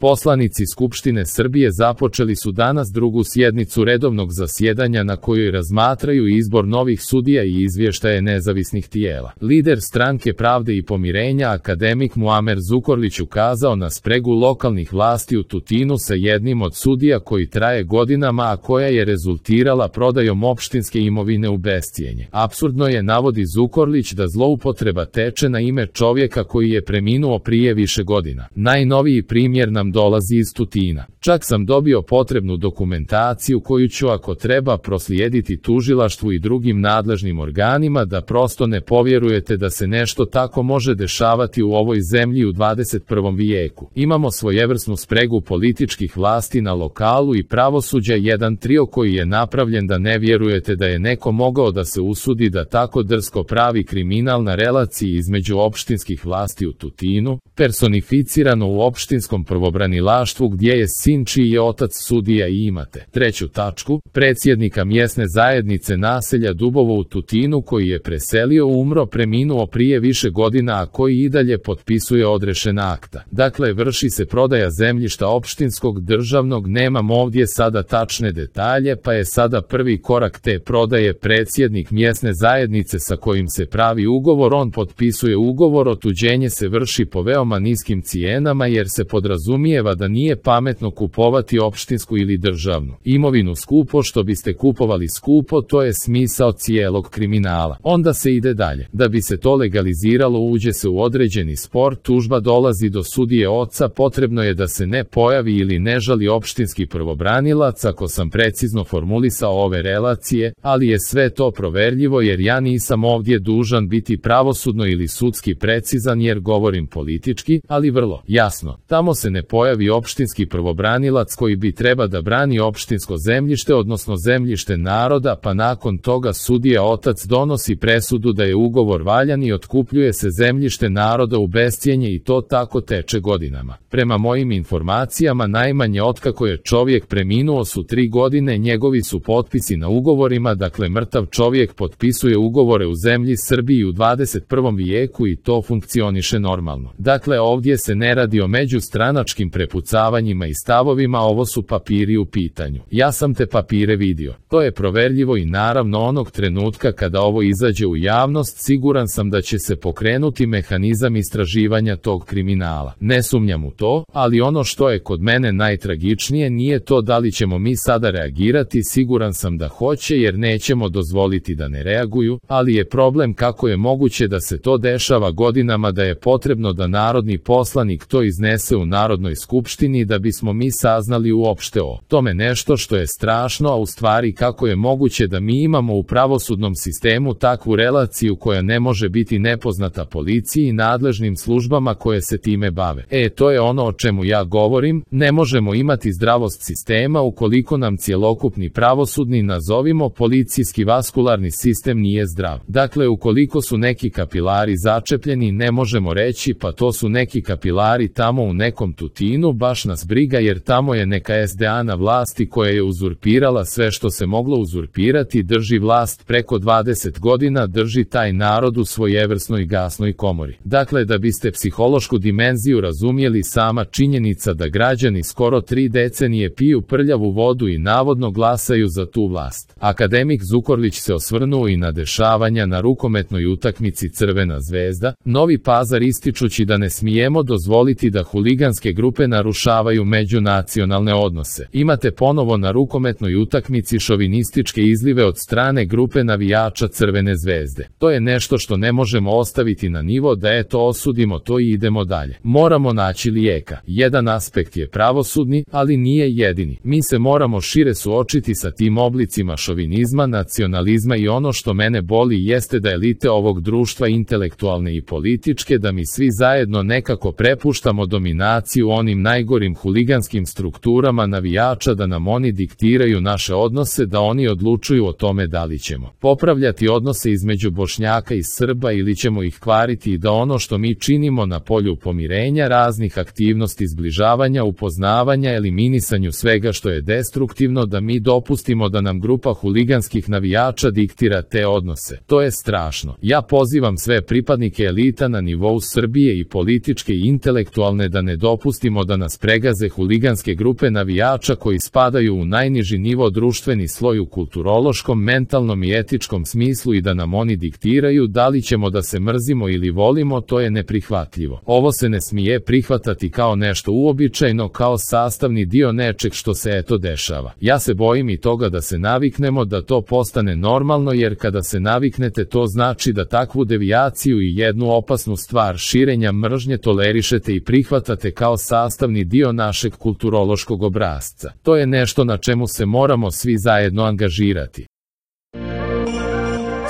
Poslanici Skupštine Srbije započeli su danas drugu sjednicu redovnog zasjedanja na kojoj razmatraju izbor novih sudija i izvještaje nezavisnih tijela. Lider Stranke pravde i pomirenja akademik Muamer Zukorlić ukazao na spregu lokalnih vlasti u Tutinu sa jednim od sudija koji traje godinama, a koja je rezultirala prodajom opštinske imovine u bescijenje. Apsurdno je, navodi Zukorlić, da zloupotreba teče na ime čovjeka koji je preminuo prije više godina. Najnoviji primjer nam dolazi iz Tutina. Čak sam dobio potrebnu dokumentaciju koju ću, ako treba, proslijediti tužilaštvu i drugim nadležnim organima, da prosto ne povjerujete da se nešto tako može dešavati u ovoj zemlji u 21. vijeku. Imamo svojevrsnu spregu političkih vlasti na lokalu i pravosuđa, jedan trio koji je napravljen da ne vjerujete da je neko mogao da se usudi da tako drsko pravi kriminal na relaciji između opštinskih vlasti u Tutinu, personificirano u opštinskom pravobranilaštvu gdje je sin čiji je otac sudija, i imate treću tačku, predsjednika mjesne zajednice naselja Dubovo u Tutinu koji je preselio, umro, preminuo prije više godina, a koji i dalje potpisuje odrešena akta. Dakle, vrši se prodaja zemljišta opštinskog, državnog, nemam ovdje sada tačne detalje, pa je sada prvi korak te prodaje predsjednik mjesne zajednice sa kojim se pravi ugovor. On potpisuje ugovor, otuđenje se vrši po veoma niskim cijenama jer se podrazumijeva da nije pametno kupovati opštinsku ili državnu imovinu skupo, što biste kupovali skupo. To je smisao cijelog kriminala. Onda se ide dalje. Da bi se to legaliziralo, uđe se u određeni spor, tužba dolazi do sudije oca, potrebno je da se ne pojavi ili ne žali opštinski pravobranilac, ako sam precizno formulisao ove relacije, ali je sve to proverljivo jer ja nisam ovdje dužan biti pravosudno ili sudski precizan jer govorim politički, ali vrlo jasno. Tamo se ne pojavi opštinski pravobranilac koji bi treba da brani opštinsko zemljište, odnosno zemljište naroda, pa nakon toga sudija otac donosi presudu da je ugovor valjan i otkupljuje se zemljište naroda u bescijenje, i to tako teče godinama. Prema mojim informacijama, najmanje otkako je čovjek preminuo su 3 godine, njegovi su potpisi na ugovorima, dakle mrtav čovjek potpisuje ugovore u zemlji Srbiji u 21. vijeku i to funkcioniše normalno. Dakle, ovdje se ne radi o međustranačkim prepucavanjima i stavovima, ovo su papiri u pitanju. Ja sam te papire vidio. To je proverljivo i naravno onog trenutka kada ovo izađe u javnost, siguran sam da će se pokrenuti mehanizam istraživanja tog kriminala. Ne sumnjam u to, ali ono što je kod mene najtragičnije nije to da li ćemo mi sada reagirati, siguran sam da hoće jer nećemo dozvoliti da ne reaguju, ali je problem kako je moguće da se to dešava godinama, da je potrebno da narodni poslanik to iznese u Narodnoj skupštini da bismo mi saznali uopšte o tome nešto što je strašno, a u stvari kako je moguće da mi imamo u pravosudnom sistemu takvu relaciju koja ne može biti nepoznata policiji i nadležnim službama koje se time bave. To je ono o čemu ja govorim, ne možemo imati zdravost sistema ukoliko nam cjelokupni pravosudni, nazovimo policijski vaskularni sistem nije zdrav. Dakle, ukoliko su neki kapilari začepljeni, ne možemo reći pa to su neki kapilari tamo u nekom Tutinu, baš nas briga jer tamo je neka SDA na vlasti koja je uzurpirala sve što se moglo uzurpirati, drži vlast preko 20 godina, drži taj narod u svojevrsnoj gasnoj komori. Dakle, da biste psihološku dimenziju razumjeli, sama činjenica da građani skoro 3 decenije piju prljavu vodu i navodno glasaju za tu vlast. Akademik Zukorlić se osvrnuo i na dešavanja na rukometnoj utakmici Crvena zvezda, Novi Pazar, ističući da ne smijemo dozvoliti da huliganske grupe narušavaju međunacionalne odnose. Imate ponovo na rukometnoj utakmici šovinističke izlive od strane grupe navijača Crvene zvezde. To je nešto što ne možemo ostaviti na nivo da osudimo to i idemo dalje. Moramo naći lijeka. Jedan aspekt je pravosudni, ali nije jedini. Mi se moramo šire suočiti sa tim oblicima šovinizma, nacionalizma i ono što mene boli jeste da elite ovog društva, intelektualne i političke, da mi svi zajedno nekako prepuštamo dominaciju onim najgorim huliganskim strukturama navijača, da nam oni diktiraju naše odnose, da oni odlučuju o tome da li ćemo popravljati odnose između Bošnjaka i Srba ili ćemo ih kvariti, i da ono što mi činimo na polju pomirenja, raznih aktivnosti zbližavanja, upoznavanja, eliminisanju svega što je destruktivno, da mi dopustimo da nam grupa huliganskih navijača diktira te odnose. To je strašno. Ja pozivam sve pripadnike elita na nivou Srbije, i političke i intelektualne, da ne dopustimo dozvolimo da nas pregaze huliganske grupe navijača koji spadaju u najniži nivo društveni sloj u kulturološkom, mentalnom i etičkom smislu i da nam oni diktiraju da li ćemo da se mrzimo ili volimo, to je neprihvatljivo. Ovo se ne smije prihvatati kao nešto uobičajeno, kao sastavni dio nečeg što se eto dešava. Ja se bojim i toga da se naviknemo, da to postane normalno, jer kada se naviknete, to znači da takvu devijaciju i jednu opasnu stvar širenja mržnje tolerišete i prihvatate kao sastavni dio našeg kulturološkog obrasca. To je nešto na čemu se moramo svi zajedno angažirati.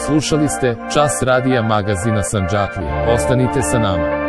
Slušali ste Čas radija magazina Sandžaklija. Ostanite sa nama.